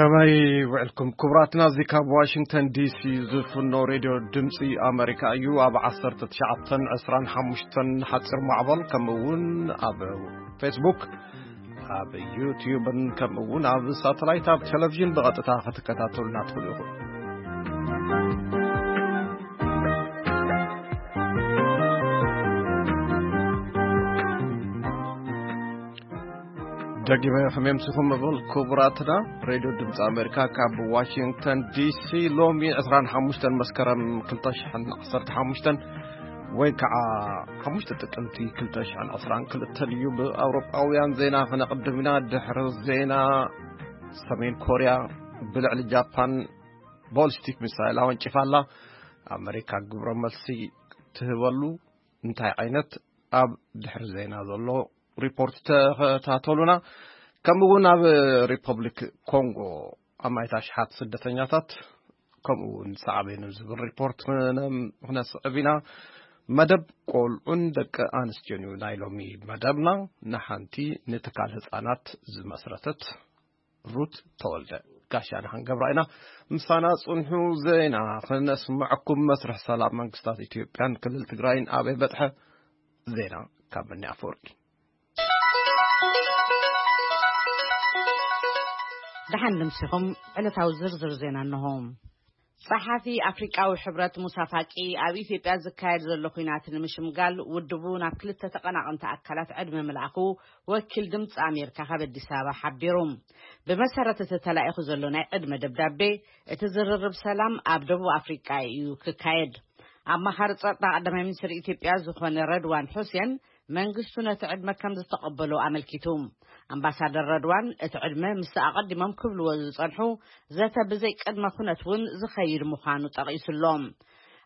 ከመይ ውዕልኩም ክቡራትና? እዚ ካብ ዋሽንግተን ዲሲ ዝፍኖ ሬድዮ ድምፂ ኣመሪካ እዩ። ኣብ ዓሰርተ ትሽዓተን ዕስራን ሓሙሽተን ሓፂር ማዕበል፣ ከምኡ እውን ኣብ ፌስቡክ፣ ኣብ ዩትዩብን ከምኡ እውን ኣብ ሳተላይት ኣብ ቴሌቪዥን ብቐጥታ ክትከታተሉና ትኽእሉ ኢኹም። ደጊመ ከመምስኹም እብል ክቡራትና። ሬድዮ ድምፂ ኣሜሪካ ካብ ዋሽንግተን ዲሲ። ሎሚ ዕስራን ሓሙሽተን መስከረም ክልተ ሽሕን ዓሰርተ ሓሙሽተን ወይ ከዓ ሓሙሽተ ጥቅምቲ ክልተ ሽሕን ዕስራን ክልተን እዩ። ብኣውሮጳውያን ዜና ክነቕድም ኢና። ድሕሪ ዜና፣ ሰሜን ኮርያ ብልዕሊ ጃፓን ቦሊስቲክ ሚሳይል ኣወንጭፋ ኣላ። ኣመሪካ ግብረ መልሲ ትህበሉ እንታይ ዓይነት? ኣብ ድሕሪ ዜና ዘሎ ሪፖርት ተኸታተሉና። ከምኡ እውን ኣብ ሪፐብሊክ ኮንጎ ኣማኢት ኣሽሓት ስደተኛታት ከምኡ እውን ሳዕቤኑ ዝብል ሪፖርት ክነ-፣ ክነስዕብ ኢና። መደብ ቆልዑን ደቂ ኣንስትዮን እዩ ናይ ሎሚ መደብና። ንሓንቲ ንትካል ህፃናት ዝመስረተት ሩት ተወልደ ጋሻና ክንገብራ ኢና። ምሳና ጽንሑ፣ ዜና ክነስምዐኩም። መስርሕ ሰላም መንግስታት ኢትዮጵያን ክልል ትግራይን ኣበይ በጽሐ? ዜና ካብ መኒ ኣፈወርቂ። ደሓን ንምሲኹም። ዕለታዊ ዝርዝር ዜና እንሆ። ጸሓፊ ኣፍሪቃዊ ሕብረት ሙሳ ፋቂ ኣብ ኢትዮጵያ ዝካየድ ዘሎ ኲናት ንምሽምጋል ውድቡ ናብ ክልተ ተቐናቐንቲ ኣካላት ዕድመ ምልኣኹ ወኪል ድምፂ ኣሜሪካ ካብ ኣዲስ ኣበባ ሓቢሩ። ብመሰረት እቲ ተላኢኹ ዘሎ ናይ ዕድመ ደብዳቤ፣ እቲ ዝርርብ ሰላም ኣብ ደቡብ ኣፍሪቃ እዩ ክካየድ። ኣማኻሪ ጸጥታ ቀዳማይ ሚኒስትር ኢትዮጵያ ዝኾነ ረድዋን ሑሴን መንግስቱ ነቲ ዕድመ ከም ዝተቐበሎ ኣመልኪቱ። ኣምባሳደር ረድዋን፣ እቲ ዕድመ ምስቲ ኣቐዲሞም ክብልዎ ዝጸንሑ ዘተ ብዘይ ቅድመ ኩነት እውን ዝኸይድ ምዃኑ ጠቒሱ ኣሎ።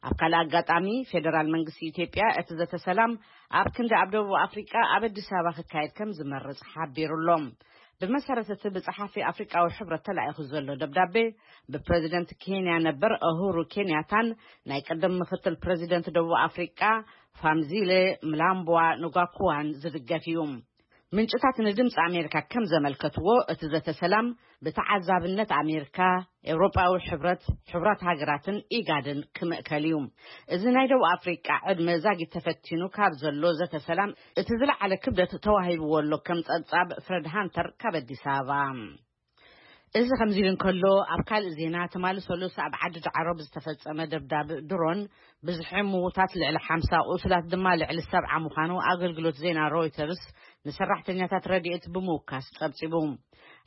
ኣብ ካልእ ኣጋጣሚ፣ ፌደራል መንግስቲ ኢትዮጵያ እቲ ዘተ ሰላም ኣብ ክንዲ ኣብ ደቡብ ኣፍሪቃ ኣብ ኣዲስ ኣበባ ክካየድ ከም ዝመርጽ ሓቢሩ ኣሎ። ብመሰረት እቲ ብጸሓፊ ኣፍሪቃዊ ሕብረት ተላኢኹ ዘሎ ደብዳቤ፣ ብፕረዚደንት ኬንያ ነበር ኡሁሩ ኬንያታን ናይ ቅድም ምክትል ፕረዚደንት ደቡብ ኣፍሪቃ ፋምዚለ ምላምቧ ንጓኩዋን ዝድገፍ እዩ። ምንጭታት ንድምፂ ኣሜሪካ ከም ዘመልከትዎ፣ እቲ ዘተ ሰላም ብተዓዛብነት ኣሜሪካ፣ ኤውሮጳዊ ሕብረት፣ ሕቡራት ሃገራትን ኢጋድን ክምእከል እዩ። እዚ ናይ ደቡብ ኣፍሪቃ ዕድመ ዛጊት ተፈቲኑ ካብ ዘሎ ዘተ ሰላም እቲ ዝለዓለ ክብደት ተዋሂብዎ ኣሎ፣ ከም ጸብጻብ ፍረድ ሃንተር ካብ ኣዲስ ኣበባ። እዚ ከምዚ ኢሉ እንከሎ፣ ኣብ ካልእ ዜና፣ ትማሊ ሰሉስ ኣብ ዓዲ ዳዕሮ ብዝተፈጸመ ደብዳብ ድሮን ብዝሒ ምዉታት ልዕሊ ሓምሳ፣ ቁሱላት ድማ ልዕሊ ሰብዓ ምዃኑ ኣገልግሎት ዜና ሮይተርስ ንሰራሕተኛታት ረድኤት ብምውካስ ጸብጺቡ።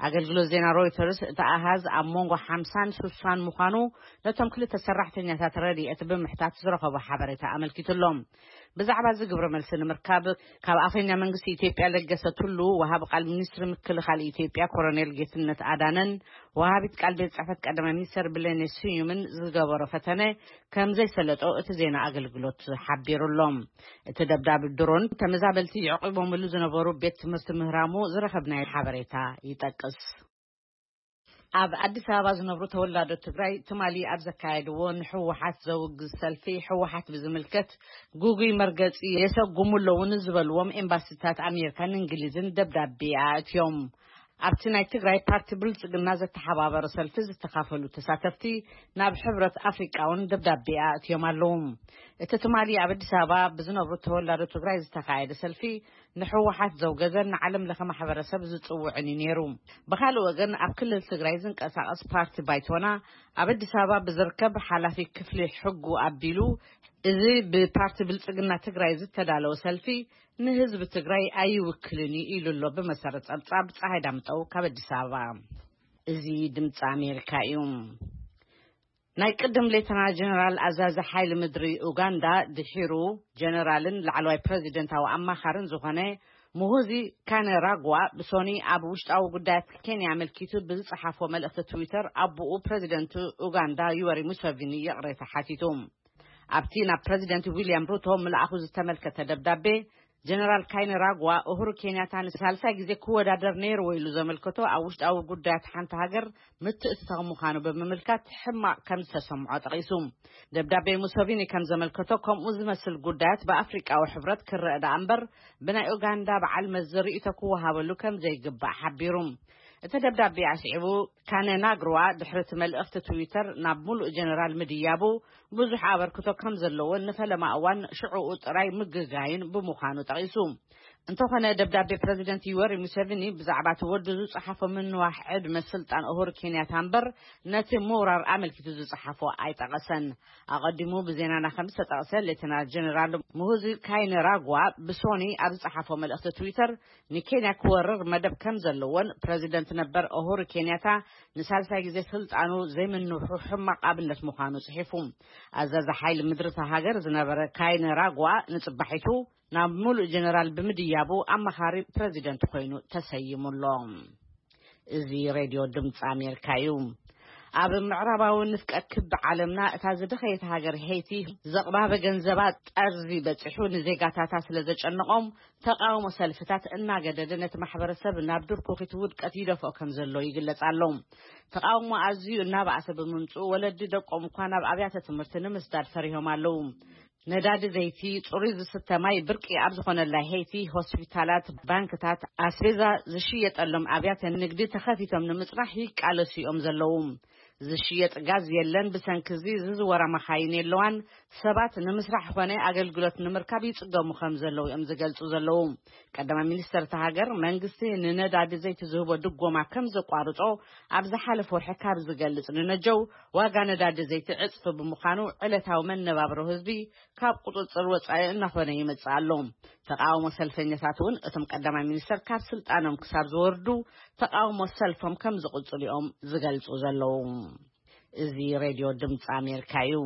ኣገልግሎት ዜና ሮይተርስ፣ እቲ ኣሃዝ ኣብ መንጎ ሓምሳን ስሳን ምዃኑ ነቶም ክልተ ሰራሕተኛታት ረድኤት ብምሕታት ዝረኸቦ ሓበሬታ ኣመልኪቱ ኣሎ። ብዛዕባ እዚ ግብረ መልሲ ንምርካብ፣ ካብ ኣፈኛ መንግስቲ ኢትዮጵያ ለገሰ ቱሉ፣ ወሃቢ ቃል ሚኒስትሪ ምክልኻል ኢትዮጵያ ኮሎኔል ጌትነት ኣዳነን ወሃቢት ቃል ቤት ጽሕፈት ቀዳማይ ሚኒስትር ብሌኔ ስዩምን ዝገበሮ ፈተነ ከም ዘይሰለጦ እቲ ዜና ኣገልግሎት ሓቢሩ ኣሎ። እቲ ደብዳብ ድሮን ተመዛበልቲ የዕቂቦምሉ ዝነበሩ ቤት ትምህርቲ ምህራሙ ዝረኸብናዮ ሓበሬታ ይጠቅስ። ኣብ ኣዲስ ኣበባ ዝነብሩ ተወላዶ ትግራይ ትማሊ ኣብ ዘካየድዎ ንህወሓት ዘውግዝ ሰልፊ፣ ህወሓት ብዝምልከት ግጉይ መርገጺ የሰጉሙ ኣለዉ ንዝበልዎም ኤምባሲታት ኣሜሪካን እንግሊዝን ደብዳቤ ኣእትዮም። ኣብቲ ናይ ትግራይ ፓርቲ ብልጽግና ዘተሓባበረ ሰልፊ ዝተኻፈሉ ተሳተፍቲ ናብ ሕብረት ኣፍሪቃ እውን ደብዳቤ ኣእትዮም ኣለዉ። እቲ ትማሊ ኣብ ኣዲስ ኣበባ ብዝነብሩ ተወላዶ ትግራይ ዝተኻየደ ሰልፊ ንህወሓት ዘውገዘን ንዓለም ለኸ ማሕበረሰብ ዝጽውዕን እዩ ነይሩ። ብኻልእ ወገን፣ ኣብ ክልል ትግራይ ዝንቀሳቐስ ፓርቲ ባይቶና ኣብ ኣዲስ ኣበባ ብዝርከብ ሓላፊ ክፍሊ ሕጉ ኣቢሉ፣ እዚ ብፓርቲ ብልጽግና ትግራይ ዝተዳለወ ሰልፊ ንህዝቢ ትግራይ ኣይውክልን እዩ ኢሉ ኣሎ። ብመሰረት ጸብጻብ ፀሃይ ዳምጠው ካብ ኣዲስ ኣበባ። እዚ ድምፂ ኣሜሪካ እዩ። ናይ ቅድም ሌተና ጀነራል ኣዛዚ ሓይሊ ምድሪ ኡጋንዳ፣ ድሒሩ ጀነራልን ላዕለዋይ ፕረዚደንታዊ ኣማኻርን ዝኾነ ሙሁዚ ካነራጓ፣ ብሶኒ ኣብ ውሽጣዊ ጉዳያት ኬንያ ኣመልኪቱ ብዝጸሓፎ መልእኽቲ ትዊተር፣ ኣቦኡ ፕረዚደንት ኡጋንዳ ዩወሪ ሙሰቪኒ ይቕሬታ ሓቲቱ። ኣብቲ ናብ ፕረዚደንት ዊልያም ሩቶ ምልኣኹ ዝተመልከተ ደብዳቤ፣ ጀነራል ካይነራጓ፣ ኡሁሩ ኬንያታ ንሳልሳይ ግዜ ክወዳደር ነይርዎ ኢሉ ዘመልከቶ ኣብ ውሽጣዊ ጉዳያት ሓንቲ ሃገር ምትእትታው ምዃኑ ብምምልካት ሕማቕ ከም ዝተሰምዖ ጠቒሱ። ደብዳቤ ሙሰቪኒ ከም ዘመልከቶ፣ ከምኡ ዝመስል ጉዳያት ብኣፍሪቃዊ ሕብረት ክረአ ደኣ እምበር፣ ብናይ ኡጋንዳ በዓል መዚ ርእይቶ ክወሃበሉ ከም ዘይግባእ ሓቢሩ። እቲ ደብዳቤ ኣስዒቡ፣ ካነናግሩዋ ድሕሪ እቲ መልእኽቲ ትዊተር ናብ ሙሉእ ጀነራል ምድያቡ ብዙሕ ኣበርክቶ ከም ዘለዎን ንፈለማ እዋን ሽዕኡ ጥራይ ምግጋይን ብምዃኑ ጠቒሱ። እንተኾነ ደብዳቤ ፕረዚደንት ዩወሪ ሙሴቪኒ ብዛዕባ እቲ ወዱ ዝጸሓፎ ምንዋሕ ዕድመ ስልጣን ኡሁሩ ኬንያታ እምበር ነቲ ምውራር ኣመልኪቱ ዝጸሓፎ ኣይጠቐሰን። ኣቐዲሙ ብዜናና ከም ዝተጠቕሰ ሌተናል ጀነራል ሙሁዚ ካይነራጓ ብሶኒ ኣብ ዝጸሓፎ መልእኽቲ ትዊተር ንኬንያ ክወርር መደብ ከም ዘለዎን ፕረዚደንት ነበር ኡሁሩ ኬንያታ ንሳልሳይ ግዜ ስልጣኑ ዘይምንውሑ ሕማቕ ኣብነት ምዃኑ ጽሒፉ። ኣዛዚ ሓይሊ ምድሪ እታ ሃገር ዝነበረ ካይነራጓ ንጽባሒቱ ናብ ሙሉእ ጀነራል ብምድያቡ ኣማኻሪ ፕረዚደንት ኮይኑ ተሰይሙ ኣሎ። እዚ ሬድዮ ድምፂ ኣሜሪካ እዩ። ኣብ ምዕራባዊ ንፍቀ ክቢ ዓለምና እታ ዝደኸየት ሃገር ሄይቲ ዘቕባበ ገንዘባ ጠርዚ በፂሑ ንዜጋታታ ስለ ዘጨነቖም ተቃውሞ ሰልፍታት እናገደደ ነቲ ማሕበረሰብ ናብ ድርኩኺት ውድቀት ይደፍኦ ከም ዘሎ ይግለጽ ኣሎ። ተቃውሞ ኣዝዩ እናባእሰ ብምምፅኡ ወለዲ ደቆም እኳ ናብ ኣብያተ ትምህርቲ ንምስዳድ ፈሪሆም ኣለዉ። ነዳዲ ዘይቲ፣ ጽሩይ ዝስተ ማይ ብርቂ ኣብ ዝኾነላ ሄይቲ ሆስፒታላት፣ ባንክታት፣ ኣስቤዛ ዝሽየጠሎም ኣብያተ ንግዲ ተኸፊቶም ንምጽናሕ ይቃለሱ እዮም ዘለዉ። ዝሽየጥ ጋዝ የለን። ብሰንኪ እዚ ዝዝወራ መኻይን የለዋን። ሰባት ንምስራሕ ኾነ ኣገልግሎት ንምርካብ ይጽገሙ ከም ዘለዉ እዮም ዝገልጹ ዘለዉ። ቀዳማይ ሚኒስተር እታ ሃገር መንግስቲ ንነዳዲ ዘይቲ ዝህቦ ድጎማ ከም ዘቋርጾ ኣብ ዝሓለፈ ወርሒ ካብ ዝገልጽ ንነጀው ዋጋ ነዳዲ ዘይቲ ዕጽፊ ብምዃኑ ዕለታዊ መነባብሮ ህዝቢ ካብ ቁጽጽር ወጻኢ እናኾነ ይመጽእ ኣሎ። ተቃውሞ ሰልፈኛታት እውን እቶም ቀዳማይ ሚኒስተር ካብ ስልጣኖም ክሳብ ዝወርዱ ተቃውሞ ሰልፎም ከም ዝቕጽሉ እዮም ዝገልጹ ዘለዉ። እዚ ሬድዮ ድምፂ ኣሜሪካ እዩ።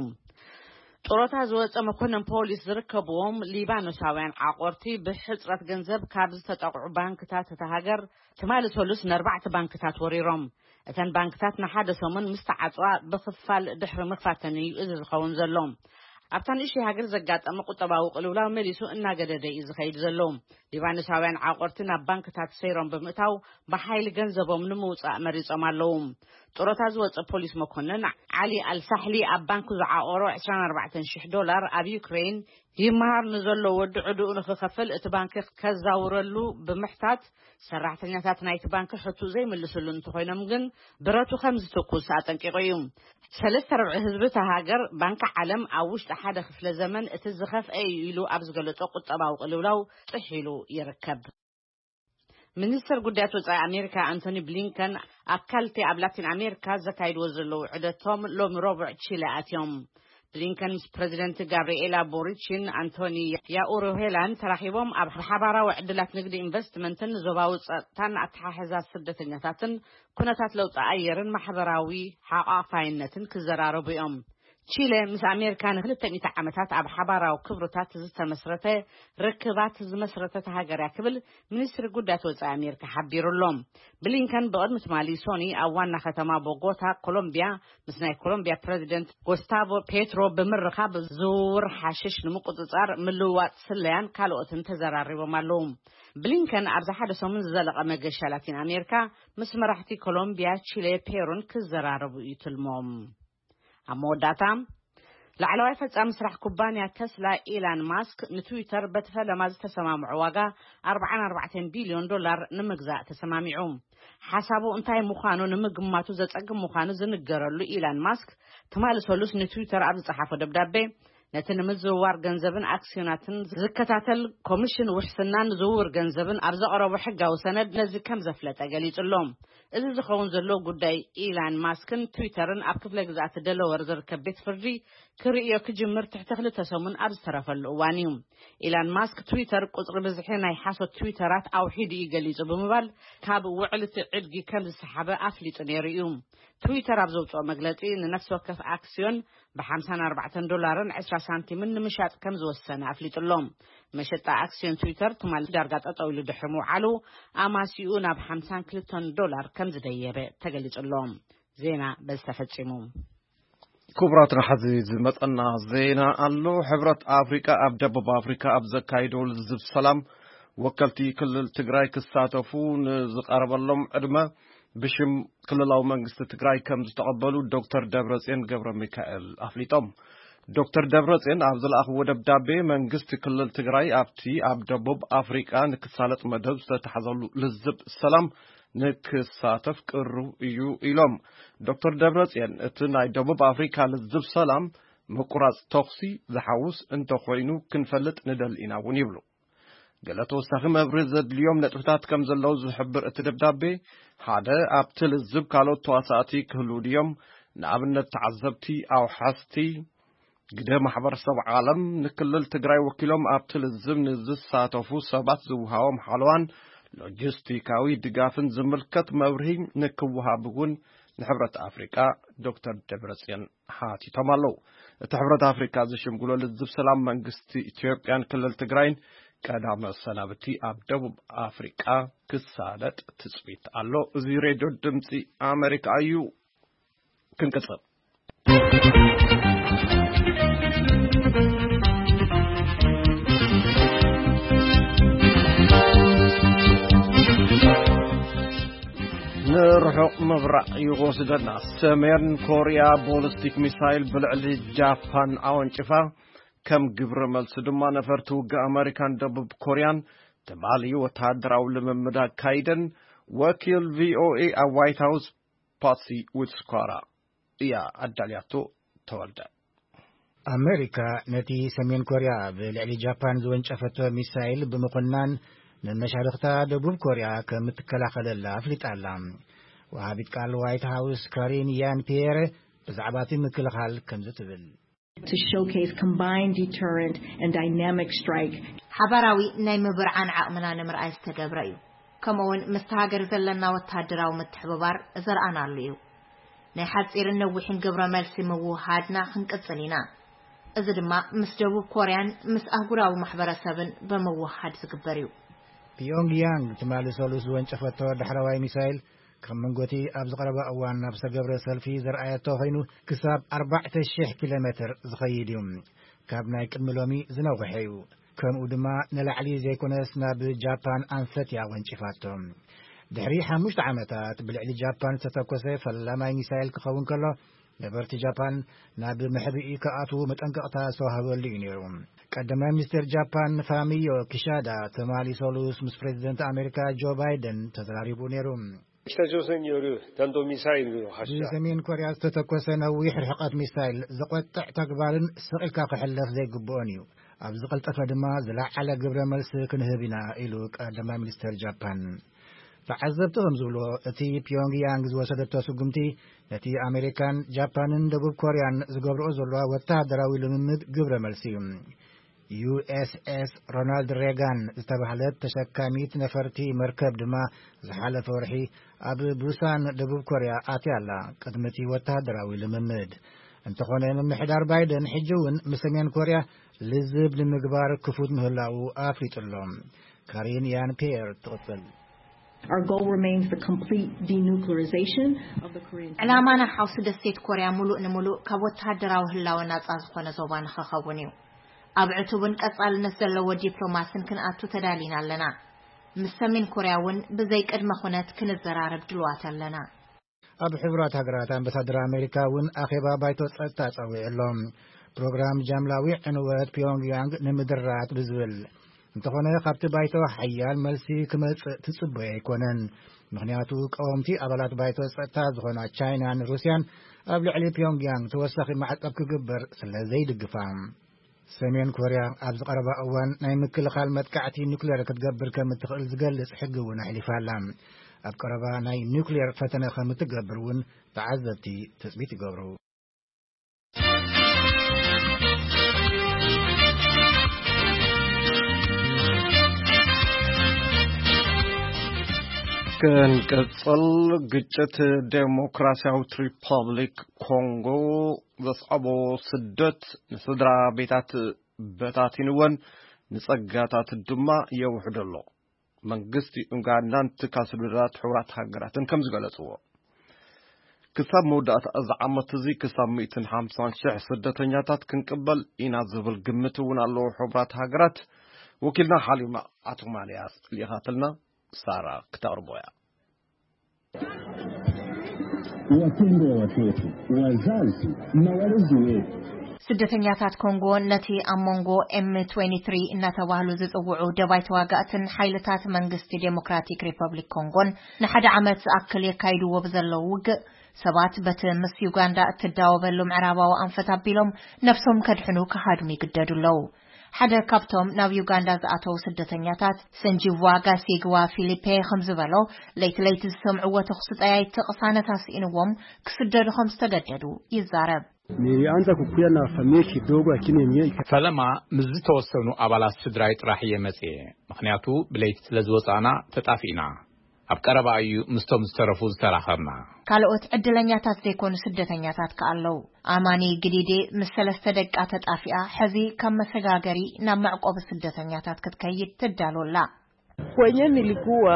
ጡረታ ዝወፀ መኮንን ፖሊስ ዝርከብዎም ሊባኖሳውያን ዓቆርቲ ብሕፅረት ገንዘብ ካብ ዝተጠቕዑ ባንክታት እታ ሃገር ትማሊ ሰሉስ ንኣርባዕተ ባንክታት ወሪሮም። እተን ባንክታት ንሓደ ሰሙን ምስ ተዓፅዋ ብኽፋል ድሕሪ ምኽፋተን እዩ እዚ ዝኸውን ዘሎ። ኣብታ ንእሽተይ ሃገር ዘጋጠመ ቁጠባዊ ቅልውላው መሊሱ እናገደደ እዩ ዝኸይድ ዘሎ። ሊባኖሳውያን ዓቆርቲ ናብ ባንክታት ሰይሮም ብምእታው ብሓይሊ ገንዘቦም ንምውፃእ መሪጾም ኣለዉ። ጡረታ ዝወፀ ፖሊስ መኮንን ዓሊ ኣልሳሕሊ ኣብ ባንኩ ዝዓቆሮ ዕስራን ኣርባዕተን ሽሕ ዶላር ኣብ ዩክሬን ይመሃር ንዘሎ ወዲ ዕድኡ ንክኸፍል እቲ ባንክ ከዛውረሉ ብምሕታት ሰራሕተኛታት ናይቲ ባንክ ሕቱ ዘይምልስሉ እንተኾይኖም ግን ብረቱ ከም ዝትኩስ ኣጠንቂቑ እዩ። ሰለስተ ርብዒ ህዝቢ እታ ሃገር ባንኪ ዓለም ኣብ ውሽጢ ሓደ ክፍለ ዘመን እቲ ዝኸፍአ እዩ ኢሉ ኣብ ዝገለጾ ቁጠባዊ ቅልውላው ጥሒሉ ይርከብ። ሚኒስትር ጉዳያት ወጻኢ ኣሜሪካ ኣንቶኒ ብሊንከን ኣብ ካልቴ ኣብ ላቲን ኣሜሪካ ዘካይድዎ ዘለዉ ዑደቶም ሎሚ ረቡዕ ቺለ ኣትዮም። ብሊንከን ምስ ፕረዚደንት ጋብርኤላ ቦሪችን ኣንቶኒ ያኡሩሄላን ተራኺቦም ኣብ ሓባራዊ ዕድላት ንግዲ፣ ኢንቨስትመንትን ዞባዊ ጸጥታን ኣተሓሕዛ ስደተኛታትን ኩነታት ለውጢ ኣየርን ማሕበራዊ ሓቋፋይነትን ክዘራረቡ እዮም። ቺለ ምስ ኣሜሪካ ንክልተ ሚእቲ ዓመታት ኣብ ሓባራዊ ክብርታት ዝተመስረተ ርክባት ዝመስረተት ሃገር እያ ክብል ሚኒስትሪ ጉዳያት ወጻኢ ኣሜሪካ ሓቢሩ ኣሎ። ብሊንከን ብቕድሚ ትማሊ ሶኒ ኣብ ዋና ከተማ ቦጎታ ኮሎምቢያ ምስ ናይ ኮሎምቢያ ፕረዚደንት ጎስታቮ ፔትሮ ብምርኻብ ዝውውር ሓሽሽ ንምቁጽጻር፣ ምልውዋጥ ስለያን ካልኦትን ተዘራሪቦም ኣለዉ። ብሊንከን ኣብዚ ሓደ ሰሙን ዝዘለቐ መገሻ ላቲን ኣሜሪካ ምስ መራሕቲ ኮሎምቢያ፣ ቺለ፣ ፔሩን ክዘራረቡ እዩ ትልሞም። ኣብ መወዳእታ ላዕለዋይ ፈጻሚ ስራሕ ኩባንያ ተስላ ኢላን ማስክ ንትዊተር በቲ ፈለማ ዝተሰማምዖ ዋጋ ኣርባዓን ኣርባዕተን ቢልዮን ዶላር ንምግዛእ ተሰማሚዑ። ሓሳቡ እንታይ ምዃኑ ንምግማቱ ዘጸግም ምዃኑ ዝንገረሉ ኢላን ማስክ ትማሊ ሰሉስ ንትዊተር ኣብ ዝጸሓፎ ደብዳቤ ነቲ ንምዝውዋር ገንዘብን ኣክስዮናትን ዝከታተል ኮሚሽን ውሕስናን ዝውውር ገንዘብን ኣብ ዘቕረቦ ሕጋዊ ሰነድ ነዚ ከም ዘፍለጠ ገሊጹ ኣሎ። እዚ ዝኸውን ዘሎ ጉዳይ ኢላን ማስክን ትዊተርን ኣብ ክፍለ ግዝኣት ደለወር ዝርከብ ቤት ፍርዲ ክርእዮ ክጅምር ትሕቲ ክልተ ሰሙን ኣብ ዝተረፈሉ እዋን እዩ። ኢላን ማስክ ትዊተር ቁጽሪ ብዝሒ ናይ ሓሶት ትዊተራት ኣውሒዱ እዩ ገሊጹ ብምባል ካብ ውዕልቲ ዕድጊ ከም ዝሰሓበ ኣፍሊጡ ነይሩ እዩ። ትዊተር ኣብ ዘውፅኦ መግለፂ ንነፍሲ ወከፍ ኣክስዮን ብ ሓምሳን ኣርባዕተን ዶላርን ዕስራ ሳንቲምን ንምሻጥ ከም ዝወሰነ ኣፍሊጡ ኣሎ። መሸጣ ኣክስዮን ትዊተር ትማሊ ዳርጋ ጠጠው ኢሉ ድሕሪ ምውዓሉ ኣማሲኡ ናብ ሓምሳን ክልተን ዶላር ከም ዝደየበ ተገሊጹ ኣሎ። ዜና በዚ ተፈጺሙ። ክቡራት፣ ንሓዚ ዝመጸና ዜና ኣሎ። ሕብረት ኣፍሪቃ ኣብ ደቡብ ኣፍሪካ ኣብ ዘካይዶ ልዝብ ሰላም ወከልቲ ክልል ትግራይ ክሳተፉ ንዝቐረበሎም ዕድመ ብሽም ክልላዊ መንግስቲ ትግራይ ከም ዝተቐበሉ ዶክተር ደብረጽዮን ገብረ ሚካኤል ኣፍሊጦም። ዶክተር ደብረጽዮን ኣብ ዝለኣኽዎ ደብዳቤ፣ መንግስቲ ክልል ትግራይ ኣብቲ ኣብ ደቡብ ኣፍሪቃ ንክሳለጥ መደብ ዝተታሕዘሉ ልዝብ ሰላም ንክሳተፍ ቅሩብ እዩ ኢሎም። ዶክተር ደብረጽዮን እቲ ናይ ደቡብ ኣፍሪካ ልዝብ ሰላም ምቁራጽ ተኹሲ ዝሓውስ እንተኾይኑ ክንፈልጥ ንደሊ ኢና እውን ይብሉ። ገለ ተወሳኺ መብርሂ ዘድልዮም ነጥብታት ከም ዘለዉ ዝሕብር እቲ ደብዳቤ፣ ሓደ ኣብቲ ልዝብ ካልኦት ተዋሳእቲ ክህልዉ ድዮም? ንኣብነት ተዓዘብቲ፣ ኣውሓስቲ፣ ግደ ማሕበረሰብ ዓለም፣ ንክልል ትግራይ ወኪሎም ኣብቲ ልዝብ ንዝሳተፉ ሰባት ዝውሃቦም ሓለዋን ሎጂስቲካዊ ድጋፍን ዝምልከት መብርሂ ንክወሃብ እውን ንሕብረት ኣፍሪቃ ዶክተር ደብረጽዮን ሓቲቶም ኣለዉ። እቲ ሕብረት ኣፍሪካ ዝሽምግሎ ልዝብ ሰላም መንግስቲ ኢትዮጵያን ክልል ትግራይን ቀዳመ ሰናብቲ ኣብ ደቡብ ኣፍሪቃ ክሳለጥ ትጽቢት ኣሎ። እዚ ሬድዮ ድምፂ ኣሜሪካ እዩ። ክንቅጽል። ንርሑቕ ምብራቕ እዩ ክወስደና። ሰሜን ኮርያ ቦሊስቲክ ሚሳይል ብልዕሊ ጃፓን ኣወንጭፋ። ከም ግብረ መልሲ ድማ ነፈርቲ ውግእ ኣመሪካን ደቡብ ኮርያን ትማሊ ወተሃደራዊ ልምምድ ኣካይደን። ወኪል ቪኦኤ ኣብ ዋይት ሃውስ ፓትሲ ዊትስኳራ እያ ኣዳልያቶ። ተወልደ። ኣመሪካ ነቲ ሰሜን ኮርያ ብልዕሊ ጃፓን ዝወንጨፈቶ ሚሳይል ብምኹናን፣ ንመሻርኽታ ደቡብ ኮርያ ከም እትከላኸለላ ኣፍሊጣ ኣላ። ወሃቢት ቃል ዋይት ሃውስ ካሪን ያን ፒየር ብዛዕባ እቲ ምክልኻል ከምዚ ትብል። To showcase combined deterrent and dynamic strike. ሓባራዊ ናይ ምብርዓን ዓቕምና ንምርኣይ ዝተገብረ እዩ። ከምኡውን ምስቲ ሃገር ዘለና ወተሃደራዊ ምትሕብባር ዘርኣናሉ እዩ። ናይ ሓጺርን ነዊሕን ግብረ መልሲ ምውሃድና ክንቅጽል ኢና። እዚ ድማ ምስ ደቡብ ኮርያን ምስ ኣህጉራዊ ማሕበረሰብን ብምውሃድ ዝግበር እዩ። ፒዮንግያንግ ትማሊ ሰሉስ ዝወንጨፈቶ ዳሕረዋይ ሚሳይል፣ ካብ መንጎቲ ኣብ ዝቐረባ እዋን ናብ ዝተገብረ ሰልፊ ዘርኣየቶ ኮይኑ፣ ክሳብ ኣርባዕተ ሽሕ ኪሎ ሜትር ዝኸይድ እዩ። ካብ ናይ ቅድሚ ሎሚ ዝነውሐ እዩ። ከምኡ ድማ ንላዕሊ ዘይኮነስ ናብ ጃፓን ኣንፈት እያ ወንጪፋቶ። ድሕሪ ሓሙሽተ ዓመታት ብልዕሊ ጃፓን ዝተተኮሰ ፈላማይ ሚሳይል ክኸውን ከሎ፣ ነበርቲ ጃፓን ናብ መሕብኢ ክኣትዉ መጠንቀቕታ ዝተዋህበሉ እዩ ነይሩ። ቀዳማይ ሚኒስትር ጃፓን ፋሚዮ ኪሻዳ ትማሊ ሰሉስ ምስ ፕሬዚደንት ኣሜሪካ ጆ ባይደን ተዘራሪቡ ነይሩ። 北朝鮮による ብሰሜን ኮርያ ዝተተኮሰ ነዊሕ ርሕቀት ሚሳይል ዘቆጥዕ ተግባርን ስቕ ኢልካ ክሕለፍ ዘይግብኦን እዩ። ኣብ ዝቐልጠፈ ድማ ዝለዓለ ግብረ መልሲ ክንህብ ኢና፣ ኢሉ ቀዳማይ ሚኒስተር ጃፓን። ተዓዘብቲ ከም ዝብልዎ፣ እቲ ፒዮንግያንግ ዝወሰደቶ ስጉምቲ ነቲ ኣሜሪካን ጃፓንን ደቡብ ኮርያን ዝገብርኦ ዘለዋ ወተሃደራዊ ልምምድ ግብረ መልሲ እዩ። ዩ ኤስ ኤስ ሮናልድ ሬጋን ዝተባህለት ተሸካሚት ነፈርቲ መርከብ ድማ ዝሓለፈ ወርሒ ኣብ ቡሳን ደቡብ ኮርያ ኣትያ ኣላ፣ ቅድሚ እቲ ወተሃደራዊ ልምምድ። እንተኾነ፣ ምምሕዳር ባይደን ሕጂ እውን ምስ ሰሜን ኮርያ ልዝብ ንምግባር ክፉት ምህላዉ ኣፍሊጡ ኣሎ። ካሪን ያን ፒየር ትቕጽል። Our goal remains the complete denuclearization of the Korean ዕላማና ሓውሲ ደሴት ኮርያ ሙሉእ ንሙሉእ ካብ ወተሃደራዊ ህላወ ናጻ ዝኾነ ዞባ ንኸኸውን እዩ። ኣብ ዕቱብን ቀጻልነት ዘለዎ ዲፕሎማስን ክንኣቱ ተዳሊና ኣለና። ምስ ሰሜን ኮርያ እውን ብዘይ ቅድመ ኩነት ክንዘራረብ ድልዋት ኣለና። ኣብ ሕቡራት ሃገራት ኣምባሳደር ኣሜሪካ እውን ኣኼባ ባይቶ ጸጥታ ጸዊዑ ኣሎ። ፕሮግራም ጃምላዊ ዕንወት ፒዮንግያንግ ንምድራት ብዝብል እንተኾነ፣ ካብቲ ባይቶ ሓያል መልሲ ክመጽእ ትጽበዮ ኣይኮነን። ምኽንያቱ፣ ቀወምቲ ኣባላት ባይቶ ጸጥታ ዝኾና ቻይናን ሩስያን ኣብ ልዕሊ ፒዮንግያንግ ተወሳኺ ማዕቀብ ክግበር ስለ ዘይድግፋ። ሰሜን ኮርያ ኣብዚ ቀረባ እዋን ናይ ምክልኻል መጥቃዕቲ ኑክሌር ክትገብር ከም እትኽእል ዝገልጽ ሕጊ እውን ኣሕሊፋ ኣላ። ኣብ ቀረባ ናይ ኑክሌር ፈተነ ከም እትገብር እውን ተዓዘብቲ ትጽቢት ይገብሩ። ክንቅጽል፣ ግጭት ዴሞክራሲያዊት ሪፐብሊክ ኮንጎ ዘስዓቦ ስደት ንስድራ ቤታት በታቲንወን፣ ንጸጋታት ድማ የውሕዶ ኣሎ። መንግስቲ ኡጋንዳን ትካል ስድራት ሕቡራት ሃገራትን ከም ዝገለጽዎ፣ ክሳብ መወዳእታ እዚ ዓመት እዚ ክሳብ ሚእትን ሓምሳን ሽሕ ስደተኛታት ክንቅበል ኢና ዝብል ግምት እውን ኣለዎ። ሕቡራት ሃገራት ወኪልና ሓሊማ ኣቶማንያስ ልኢኻትልና፣ ሳራ ክተቕርቦ እያ። Wapendwa watoto, wazazi na walezi wetu። ስደተኛታት ኮንጎ ነቲ ኣብ መንጎ M twenty-three እናተባህሉ ዝጽውዑ ደባይ ተዋጋእትን ሓይልታት መንግስቲ ዴሞክራቲክ ሪፐብሊክ ኮንጎን ንሓደ ዓመት ዝኣክል የካይድዎ ብዘለዉ ውግእ፣ ሰባት በቲ ምስ ዩጋንዳ እትዳወበሉ ምዕራባዊ ኣንፈት ኣቢሎም ነፍሶም ከድሕኑ ክሃድሙ ይግደዱ ኣለዉ። ሓደ ካብቶም ናብ ዩጋንዳ ዝኣተዉ ስደተኛታት፣ ሰንጂዋ ጋሲግዋ ፊሊፔ ከም ዝበሎ፣ ለይቲ ለይቲ ዝሰምዕዎ ተኹሲ ጠያይቲ ቅሳነት ኣስኢንዎም ክስደዱ ከም ዝተገደዱ ይዛረብ። Nilianza kukuya na familia kidogo, lakini yenyewe ika- ፈለማ ምስ ዝተወሰኑ ኣባላት ስድራይ ጥራሕ እየ መጽየ፣ ምኽንያቱ ብለይቲ ስለ ዝወጻእና ተጣፊእና። ኣብ ቀረባ እዩ ምስቶም ዝተረፉ ዝተራኸብና። ካልኦት ዕድለኛታት ዘይኮኑ ስደተኛታት ከኣ ኣለዉ። ኣማኒ ግዲዴ ምስ ሰለስተ ደቃ ተጣፊኣ፣ ሕዚ ካብ መሰጋገሪ ናብ መዕቆቢ ስደተኛታት ክትከይድ ትዳሎ ኣላ። Kwenye nilikuwa,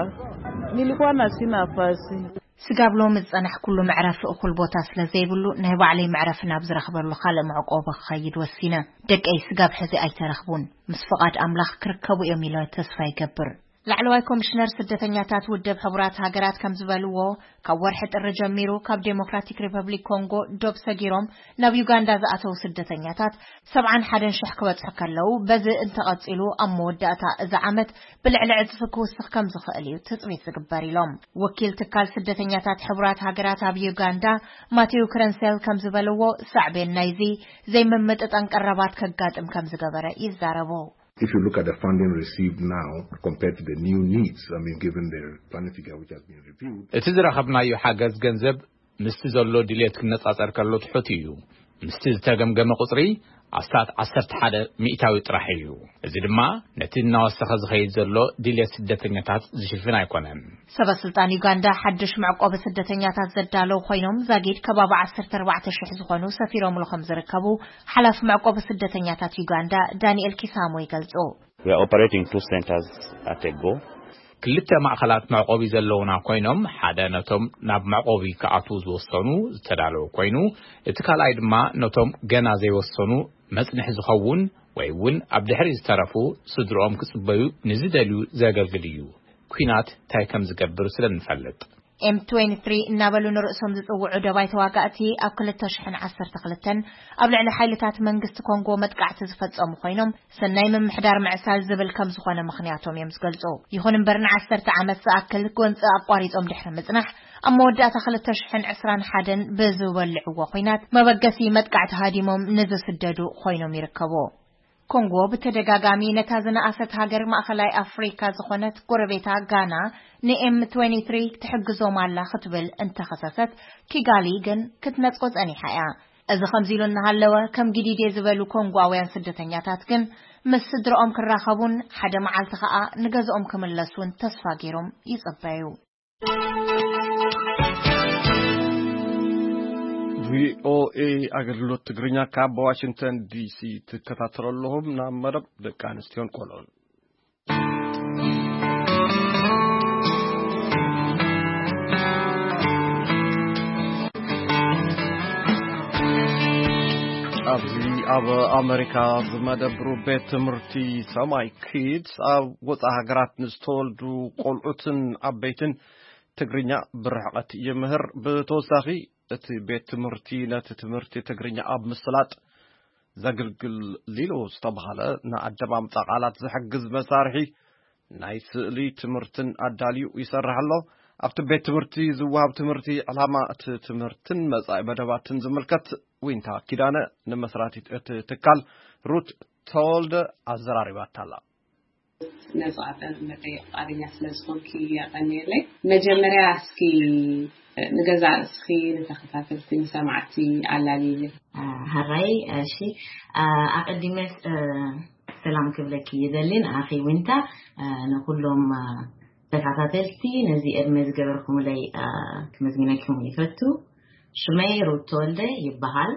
nilikuwa na sina nafasi. ስጋብ ሎሚ ዝጸናሕኩሉ መዕረፊ እኹል ቦታ ስለ ዘይብሉ፣ ናይ ባዕለይ መዕረፊ ናብ ዝረኽበሉ ካልእ መዕቆቢ ክኸይድ ወሲነ። ደቀይ ስጋብ ሕዚ ኣይተረኽቡን። ምስ ፍቓድ ኣምላኽ ክርከቡ እዮም ኢለ ተስፋ ይገብር። ላዕለዋይ ኮሚሽነር ስደተኛታት ውድብ ሕቡራት ሃገራት ከም ዝበልዎ፣ ካብ ወርሒ ጥሪ ጀሚሩ ካብ ዴሞክራቲክ ሪፐብሊክ ኮንጎ ዶብ ሰጊሮም ናብ ዩጋንዳ ዝኣተዉ ስደተኛታት ሰብዓን ሓደን ሽሕ ክበጽሑ ከለዉ፣ በዚ እንተቐጺሉ ኣብ መወዳእታ እዚ ዓመት ብልዕሊ ዕጽፊ ክውስኽ ከም ዝኽእል እዩ ትጽቢት ዝግበር ኢሎም። ወኪል ትካል ስደተኛታት ሕቡራት ሃገራት ኣብ ዩጋንዳ ማቴው ክረንሴል ከም ዝበልዎ፣ ሳዕቤን ናይዚ ዘይምምጥጣን ቀረባት ከጋጥም ከም ዝገበረ ይዛረቡ። If you look at the funding received now compared to the new needs, I mean, given the plan figure which has been reviewed, እቲ ዝረኸብናዮ ሓገዝ ገንዘብ ምስቲ ዘሎ ድሌት ክነጻጸር ከሎ ትሑት እዩ። ምስቲ ዝተገምገመ ቁጽሪ ኣስታት ዓሰርተ ሓደ ሚእታዊ ጥራሕ እዩ። እዚ ድማ ነቲ እናወሰኸ ዝኸይድ ዘሎ ድሌት ስደተኛታት ዝሽፍን ኣይኮነን። ሰበ ስልጣን ዩጋንዳ ሓድሽ መዕቆቢ ስደተኛታት ዘዳለዉ ኮይኖም፣ ዛጊድ ከባቢ ዓሰርተ ኣርባዕተ ሽሕ ዝኾኑ ሰፊሮምሉ ከም ዝርከቡ ሓላፊ መዕቆቢ ስደተኛታት ዩጋንዳ ዳንኤል ኪሳሞ ይገልጹ። We are operating two centers at a go. ክልተ ማእኸላት መዕቆቢ ዘለውና ኮይኖም፣ ሓደ ነቶም ናብ መዕቆቢ ክኣትዉ ዝወሰኑ ዝተዳለወ ኮይኑ፣ እቲ ካልኣይ ድማ ነቶም ገና ዘይወሰኑ መጽንሒ ዝኸውን ወይ እውን ኣብ ድሕሪት ዝተረፉ ስድርኦም ክጽበዩ ንዝደልዩ ዘገልግል እዩ። ኲናት እንታይ ከም ዝገብር ስለ እንፈልጥ። M twenty-three እናበሉ ንርእሶም ዝጽውዑ ደባይ ተዋጋእቲ፣ ኣብ ክልተ ሽሕን ዓሰርተ ክልተን ኣብ ልዕሊ ሓይልታት መንግስቲ ኮንጎ መጥቃዕቲ ዝፈጸሙ ኮይኖም፣ ሰናይ ምምሕዳር ምዕሳል ዝብል ከም ዝኾነ ምኽንያቶም እዮም ዝገልጹ። ይኹን እምበር፣ ንዓሰርተ ዓመት ዝኣክል ጎንጺ ኣቋሪጾም ድሕሪ ምጽናሕ፣ ኣብ መወዳእታ ክልተ ሽሕን ዕስራን ሓደን ብዝወልዕዎ ኲናት መበገሲ መጥቃዕቲ ሃዲሞም ንዝስደዱ ኮይኖም ይርከቡ። ኮንጎ ብተደጋጋሚ ነታ ዝነኣሰት ሃገር ማእኸላይ ኣፍሪካ ዝኾነት ጎረቤታ ጋና ን M twenty-three ትሕግዞም ኣላ ክትብል እንተኸሰሰት፣ ኪጋሊ ግን ክትነጽጎ ጸኒሓ እያ። እዚ ከምዚ ኢሉ እናሃለወ፣ ከም ግዲዴ ዝበሉ ኮንጓውያን ስደተኛታት ግን ምስ ስድርኦም ክራኸቡን ሓደ መዓልቲ ኸኣ ንገዝኦም ክምለሱን ተስፋ ገይሮም ይጽበዩ። ቪኦኤ ኣገልግሎት ትግርኛ ካብ ዋሽንግተን ዲሲ ትከታተሉ ኣለኹም። ናብ መደብ ደቂ ኣንስትዮን ቆልዑን። ኣብዚ ኣብ ኣመሪካ ዝመደብሩ ቤት ትምህርቲ ሰማይ ኪድስ ኣብ ወፃኢ ሃገራት ንዝተወልዱ ቆልዑትን ዓበይትን ትግርኛ ብርሕቐት ይምህር። ብተወሳኺ እቲ ቤት ትምህርቲ ነቲ ትምህርቲ ትግርኛ ኣብ ምስላጥ ዘግልግል ሊሎ ዝተባህለ ንኣደማምፃ ቃላት ዝሕግዝ መሳርሒ ናይ ስእሊ ትምህርትን ኣዳልዩ ይሰርሕ ኣሎ። ኣብቲ ቤት ትምህርቲ ዝወሃብ ትምህርቲ፣ ዕላማ እቲ ትምህርትን መጻኢ መደባትን ዝምልከት ዊንታ ኪዳነ ንመስራቲት እቲ ትካል ሩት ተወልደ ኣዘራሪባታ ኣላ። ነዚ ቃለ መጠይቕ ፍቓደኛ ስለ ዝኾንኪ የቐንየለይ። መጀመርያ እስኪ ንገዛእ ርእስኺ ንተኸታተልቲ ንሰማዕቲ ኣላልይሊ። ሃራይ እሺ፣ ኣቐዲመ ሰላም ክብለኪ ይደሊ። ንኣኺ ዊንታ፣ ንኹሎም ተኸታተልቲ ነዚ ዕድመ ዝገበርኩምለይ ክመዝግነኩም ይፈቱ። ሽመይ ሩት ተወልደ ይበሃል።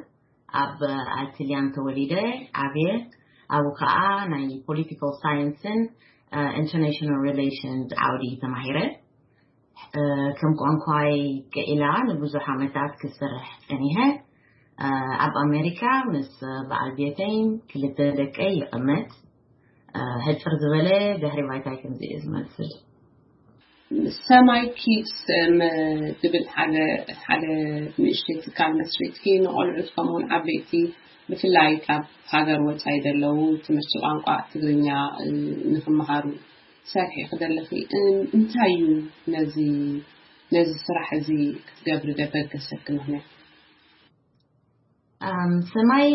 ኣብ ኣልትልያን ተወሊደ ዓብየ። ኣብኡ ከዓ ናይ ፖለቲካል ሳይንስን ኢንተርናሽናል ሪሌሽንስ ዓውዲ ተማሂረ። ከም ቋንቋይ ክኢላ ንብዙሕ ዓመታት ክሰርሕ ጸኒሐ። ኣብ ኣሜሪካ ምስ በዓል ቤተይን ክልተ ደቀይ ይቕመጥ። ሕጽር ዝበለ ድሕሪ ባይታይ ከምዚ እዩ ዝመስል። ሰማይ ኪድስ ዝብል ሓደ ሓደ ንእሽተይ ትካል መስሪትኪ፣ ንቆልዑት ከምኡውን ዓበይቲ፣ ብፍላይ ካብ ሃገር ወፃኢ ዘለዉ፣ ትምህርቲ ቋንቋ ትግርኛ ንክመሃሩ ትሰርሒ ክደለኺ፣ እንታይ እዩ ነዚ ነዚ ስራሕ እዚ ክትገብሪ ደበገሰኪ ምክንያት? ሰማይ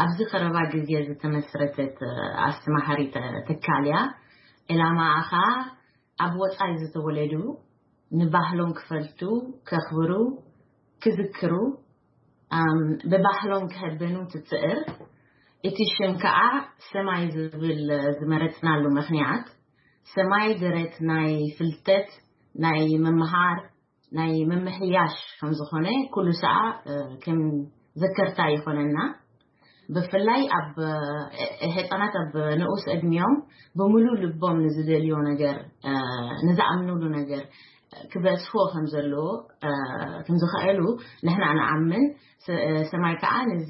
ኣብዚ ቀረባ ግዜ ዝተመስረተት ኣስተማሃሪ ትካል እያ። ዕላማኣ ከዓ ኣብ ወፃኢ ዝተወለዱ ንባህሎም ክፈልጡ፣ ከኽብሩ፣ ክዝክሩ፣ ብባህሎም ክህበኑ ትፅዕር። እቲ ሽም ከዓ ሰማይ ዝብል ዝመረፅናሉ ምክንያት፣ ሰማይ ደረት ናይ ፍልጠት፣ ናይ ምምሃር፣ ናይ ምምሕያሽ ከም ዝኾነ ኩሉ ሰዓ ከም ዘከርታ ይኾነና። ብፍላይ ኣብ ህፃናት ኣብ ንኡስ ዕድሚኦም ብምሉ ልቦም ንዝደልዮ ነገር፣ ንዝኣምኑሉ ነገር ክበፅሕዎ ከም ዘለዎ ከም ዝኽእሉ ንሕና ንኣምን። ሰማይ ከዓ ነዚ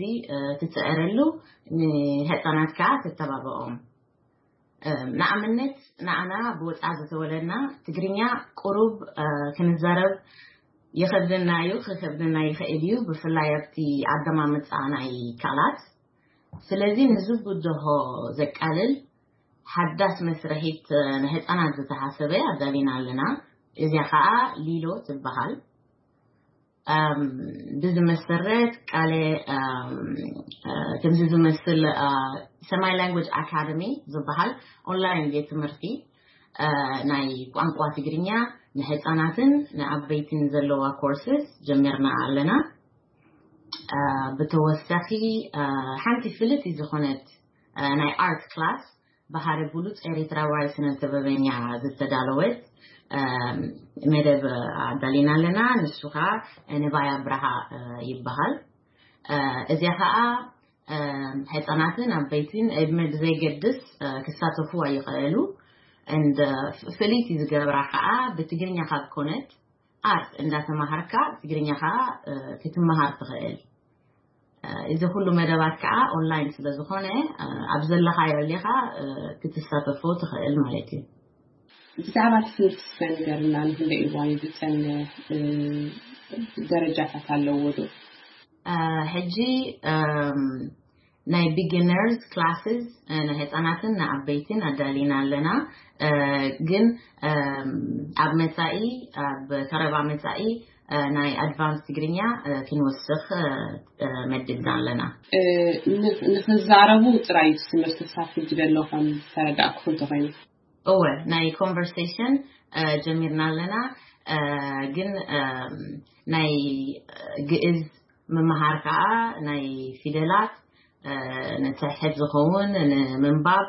ትፅዕረሉ፣ ንህፃናት ከዓ ትተባብዖም። ንኣብነት ንኣና ብወፃ ዝተወለድና ትግርኛ ቁሩብ ክንዛረብ ይኸብደና እዩ፣ ክኸብደና ይኽእል እዩ፣ ብፍላይ ኣብቲ ኣደማምፃ ናይ ቃላት። ስለዚ ንዚ ብድሆ ዘቃልል ሓዳስ መስርሒት ንህፃናት ዝተሓሰበ ኣዳሊና ኣለና። እዚኣ ከዓ ሊሎ ትበሃል። ብዝመሰረት ቃለ ከምዚ ዝመስል ሰማይ ላንጉጅ ኣካደሚ ዝበሃል ኦንላይን ቤት ትምህርቲ ናይ ቋንቋ ትግርኛ ንህፃናትን ንዓበይትን ዘለዋ ኮርስስ ጀሚርና ኣለና። ብተወሳኺ ሓንቲ ፍልቲ ዝኾነት ናይ ኣርት ክላስ ባህሪ ብሉፅ ኤርትራዋይ ስነ ጥበበኛ ዝተዳለወት መደብ ኣዳሊና ኣለና። ንሱ ከዓ ንባይ ኣብርሃ ይበሃል። እዚኣ ከዓ ህፃናትን ዓበይትን ዕድመ ብዘይገድስ ክሳተፉዋ ይኽእሉ። እንደ ፍልይቲ ዝገብራ ከዓ ብትግርኛ ካብ ኮነት ኣርት እንዳተማሃርካ ትግርኛ ከዓ ክትመሃር ትኽእል። እዚ ኩሉ መደባት ከዓ ኦንላይን ስለ ዝኾነ ኣብ ዘለኻዮ ሌኻ ክትሳተፎ ትኽእል ማለት እዩ። ብዛዕባ ትምህርቲ ስለ ንገርና፣ ንክንደይ እዋን እዩ ዝፀንሕ? ደረጃታት ኣለዎ ዶ? ሕጂ ናይ ቢጊነርስ ክላስስ ንህፃናትን ንዓበይትን ኣዳሊና ኣለና። ግን ኣብ መፃኢ፣ ኣብ ቀረባ መፃኢ ናይ ኣድቫንስ ትግርኛ ክንወስኽ መድብና ኣለና። ንክዛረቡ ጥራይ ትምህርቲ ክሳብ ሕጂ ዘሎ ከም ዝተረዳእኩ እንተኮይኑ? እወ፣ ናይ ኮንቨርሴሽን ጀሚርና ኣለና። ግን ናይ ግእዝ ምምሃር ከዓ ናይ ፊደላት ንትሕት ዝኸውን ንምንባብ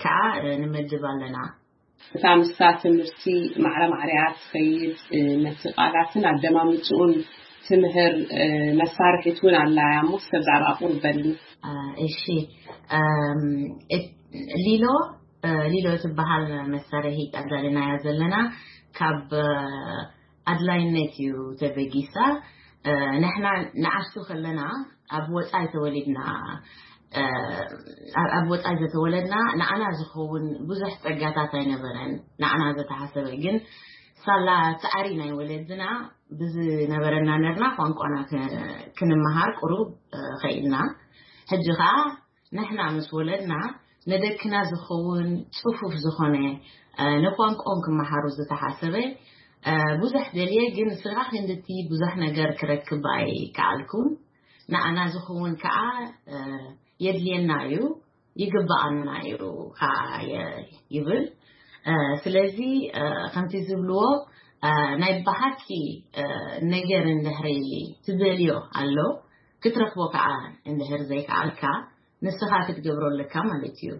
ከዓ ንመድብ ኣለና። እታ ምስታ ትምህርቲ ማዕረ ማዕረያ ትኸይድ፣ ነቲ ቃላትን ኣደማምፅኡን ትምህር መሳርሒት እውን ኣላ እያ እሞ፣ እስከ ብዛዕባ ቁርብ በልኒ። እሺ፣ ሊሎ ሊሎ ትበሃል መሳርሒ ኣዳሊናያ ዘለና ካብ ኣድላይነት እዩ ተበጊሳ። ንሕና ንኣሽቱ ከለና ኣብ ወፃኢ ተወሊድና፣ ኣብ ወፃኢ ዘተወለድና ንዓና ዝኸውን ብዙሕ ፀጋታት ኣይነበረን። ንዓና ዘተሓሰበ ግን ሳላ ፃዕሪ ናይ ወለድና ብዝነበረና ነርና ቋንቋና ክንመሃር ቁሩብ ኸኢልና። ሕጂ ከዓ ንሕና ምስ ወለድና ንደቅና ዝኸውን ጽፉፍ ዝኾነ ንቋንቋኦም ክመሃሩ ዝተሓሰበ ብዙሕ ደልየ፣ ግን ስራሕ ክንድቲ ብዙሕ ነገር ክረክብ ኣይከኣልኩን። ንኣና ዝኸውን ከዓ የድልየና እዩ፣ ይግብኣና እዩ ከዓ ይብል። ስለዚ ከምቲ ዝብልዎ ናይ ብሓቂ ነገር እንድሕሪ ትደልዮ ኣሎ ክትረኽቦ ከዓ እንድሕር ዘይከኣልካ ንስኻ ክትገብሮ ኣለካ ማለት እዩ።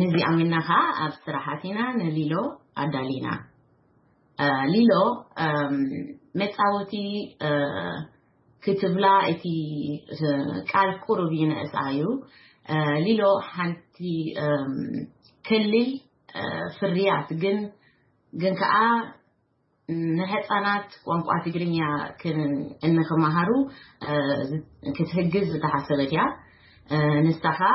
ነዚ ኣሚና ከዓ ኣብ ስራሓት ኢና ንሊሎ ኣዳሊና። ሊሎ መፃወቲ ክትብላ እቲ ቃል ቁሩብ ይንእስ እዩ። ሊሎ ሓንቲ ከሊል ፍርያት ግን ግን ከዓ ንህፃናት ቋንቋ ትግርኛ እንክመሃሩ ክትህግዝ ዝተሓሰበት እያ። ንሳ ከዓ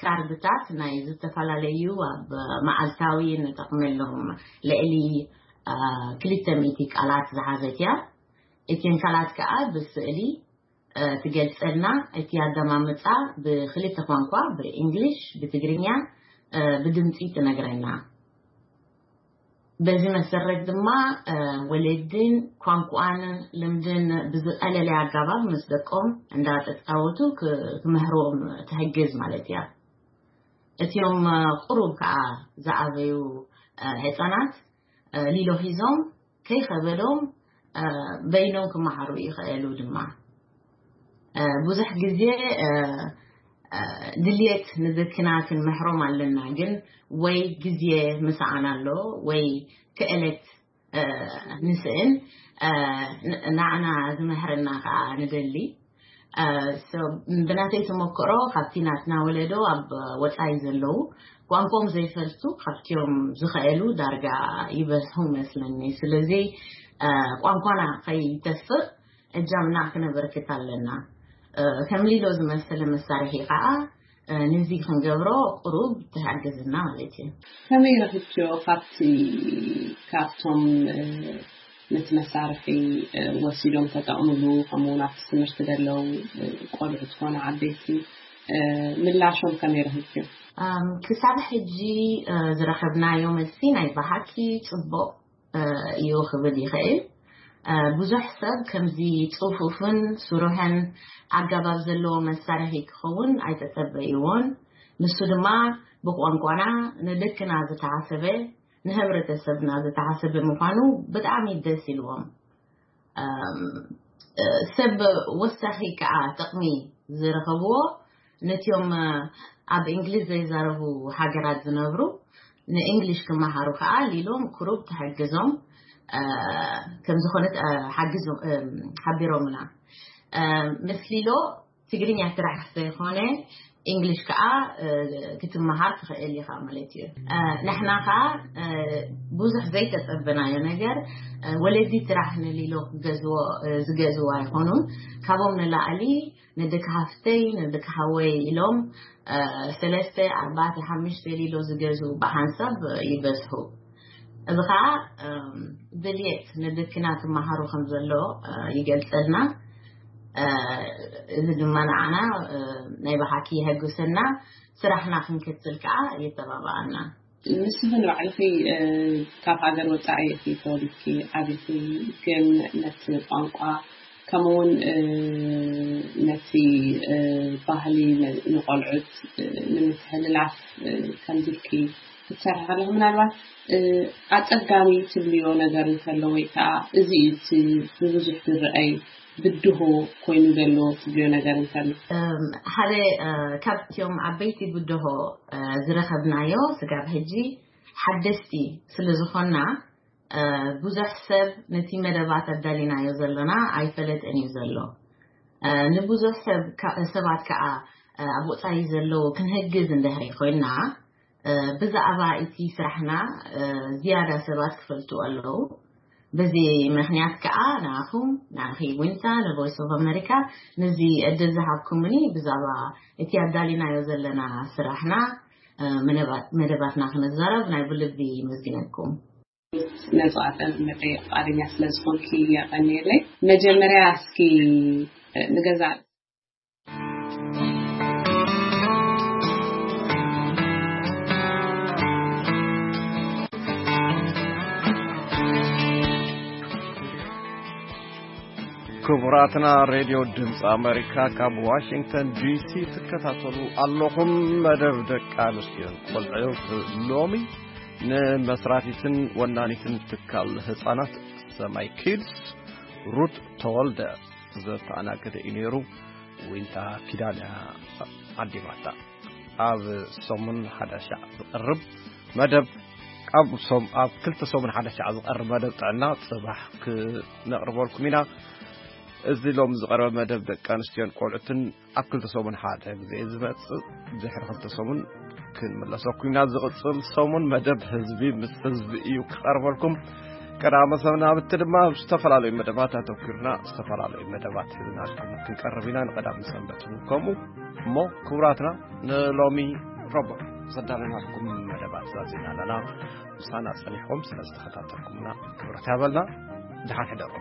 ካርድታት ናይ ዝተፈላለዩ ኣብ መዓልታዊ ንጠቕመሎም ልዕሊ ክልተ ሚእቲ ቃላት ዝሓዘት እያ። እተን ቃላት ከዓ ብስእሊ ትገልፀልና። እቲ ኣደማምፃ ብክልተ ቋንቋ፣ ብእንግሊሽ፣ ብትግርኛ፣ ብድምፂ ትነግረና። በዚ መሰረት ድማ ወለድን ቋንቋን ልምድን ብዝቐለለ ኣጋባብ ምስ ደቆም እንዳተፃወቱ ክምህርዎም ትሕግዝ ማለት እያ። እቲኦም ቁሩብ ከዓ ዝኣበዩ ህፃናት ሊሎ ሒዞም ከይኸበዶም በይኖም ክመሃሩ ይኽእሉ ድማ። ብዙሕ ግዜ ድልየት ንደቅና ክንመሕሮም ኣለና፣ ግን ወይ ግዜ ምሳኣን ኣሎ ወይ ክእለት ንስእን ንዓና ዝመሕረና ከዓ ንደሊ። ብናተይ ተመክሮ ካብቲ ናትና ወለዶ ኣብ ወፃኢ ዘለዉ ቋንቋኦም ዘይፈልጡ ካብቲኦም ዝኽእሉ ዳርጋ ይበዝሑ መስለኒ። ስለዚ ቋንቋና ከይተፍር እጃምና ክነበርክት ኣለና። ከም ሊሎ ዝመሰለ መሳርሒ ከዓ ነዚ ክንገብሮ ቁሩብ ትሕግዝና ማለት እዩ። ከመይ ረኺብክዮ ካብቲ ካብቶም ነቲ መሳርሒ ወሲዶም ተጠቕምሉ ከምኡውን ኣብቲ ትምህርቲ ዘለዉ ቆልዑ ዝኾነ ዓበይቲ ምላሾም ከመይ ረኺብክዮ? ክሳብ ሕጂ ዝረኸብናዮ መልሲ ናይ ብሓቂ ፅቡቕ እዩ ክብል ይኽእል። ብዙሕ ሰብ ከምዚ ፅፉፍን ስሩሕን ኣገባብ ዘለዎ መሳርሒ ክኸውን ኣይተጸበይዎን። ንሱ ድማ ብቋንቋና ንደቅና ዝተሓሰበ፣ ንህብረተሰብና ዝተሓሰበ ምዃኑ ብጣዕሚ ደስ ኢልዎም። ሰብ ወሳኺ ከዓ ጥቕሚ ዝረኸብዎ ነቲኦም ኣብ እንግሊዝ ዘይዛረቡ ሃገራት ዝነብሩ ንእንግሊሽ ክመሃሩ ከዓ ሊሎም ክሩብ ትሕግዞም ከም ዝኾነት ሓቢሮምና። ምስ ሊሎ ትግርኛ ስራሕ ዘይኮነ እንግሊሽ ከዓ ክትመሃር ትኽእል ኢኻ ማለት እዩ። ንሕና ከዓ ብዙሕ ዘይተፀበናዮ ነገር ወለዲ ስራሕ ንሊሎ ዝገዝዎ ኣይኮኑን። ካብኦም ንላዕሊ ንደቂ ሃፍተይ ንደቂ ሃወይ ኢሎም ሰለስተ ኣርባዕተ ሓሙሽተ ሊሎ ዝገዝኡ ብሓንሳብ ይበዝሑ። እዚ ከዓ ድልየት ንደቅና ክመሃሩ ከም ዘሎ ይገልፀልና። እዚ ድማ ንዓና ናይ ብሓቂ የሐጉሰና፣ ስራሕና ክንክትል ከዓ የተባብኣና። ንስኺ ንባዕልኺ ካብ ሃገር ወፃኢ ኢኺ ተወሊድኪ ዓቢኺ፣ ግን ነቲ ቋንቋ ከምኡውን ነቲ ባህሊ ንቆልዑት ንምትሕልላፍ ከምዚ ኢልኪ ክትሰርሒ ከለኺ ምናልባት ኣፀጋሚ ትብልዮ ነገር እንተሎ ወይ ከዓ እዚ እዩ እቲ ብብዙሕ ዝረኣይ ብድሆ ኮይኑ ዘሎ ትብልዮ ነገር እንተሎ? ሓደ ካብቲኦም ዓበይቲ ብድሆ ዝረኸብናዮ ስጋብ ሕጂ ሓደስቲ ስለ ዝኾንና ብዙሕ ሰብ ነቲ መደባት ኣዳሊናዮ ዘሎና ኣይፈለጠን እዩ ዘሎ። ንብዙሕ ሰባት ከዓ ኣብ ወፃኢ ዘለዉ ክንህግዝ እንድሕሪ ኮይንና ብዛዕባ እቲ ስራሕና ዝያዳ ሰባት ክፈልጡ ኣለዉ። በዚ ምኽንያት ከዓ ንኣኹም ንኣኺ ዊንታ ንቮይስ ኦፍ ኣሜሪካ ነዚ ዕድል ዝሃብኩምኒ ብዛዕባ እቲ ኣዳሊናዮ ዘለና ስራሕና መደባትና ክንዛረብ ናይ ብልቢ መስግነኩም። ነዚ ቃለ መጠይቕ ፍቓደኛ ስለ ዝኾንኪ የቐንየለይ። መጀመርያ እስኪ ንገዛ ክቡራትና ሬድዮ ድምፂ ኣሜሪካ ካብ ዋሽንግተን ዲሲ ትከታተሉ ኣለኹም። መደብ ደቂ ኣንስትዮን ቆልዑ ሎሚ ንመስራቲትን ወናኒትን ትካል ህፃናት ሰማይ ኪድስ ሩት ተወልደ ዘተኣናገደ እዩ ነይሩ። ዊንታ ኪዳነ ዓዲማታ ኣብ ሰሙን ሓደ ሻዕ ዝቐርብ መደብ ኣብ ሶም ኣብ ክልተ ሰሙን ሓደ ሻዕ ዝቐርብ መደብ ጥዕና ጽባሕ ክነቕርበልኩም ኢና። እዚ ሎም ዝቐርበ መደብ ደቂ ኣንስትዮን ቆልዑትን ኣብ ክልተ ሰሙን ሓደ ግዜ ዝመጽእ ድሕሪ ክልተ ሰሙን ክንምለሰኩም ኢና። ዝቕጽል ሰሙን መደብ ህዝቢ ምስ ህዝቢ እዩ ክቐርበልኩም። ቀዳመ ሰናብቲ ድማ ኣብ ዝተፈላለዩ መደባት ኣተኩርና ዝተፈላለዩ መደባት ሒዝናልኩም ክንቀርብ ኢና። ንቀዳም ሰንበት እውን ከምኡ። እሞ ክቡራትና፣ ንሎሚ ረቡዕ ዘዳለናልኩም መደባት ዛዚና ኣለና። ምሳና ጸኒሕኩም ስለ ዝተኸታተልኩምና ክብረት ያበልና። ደሓን ሕደሩ።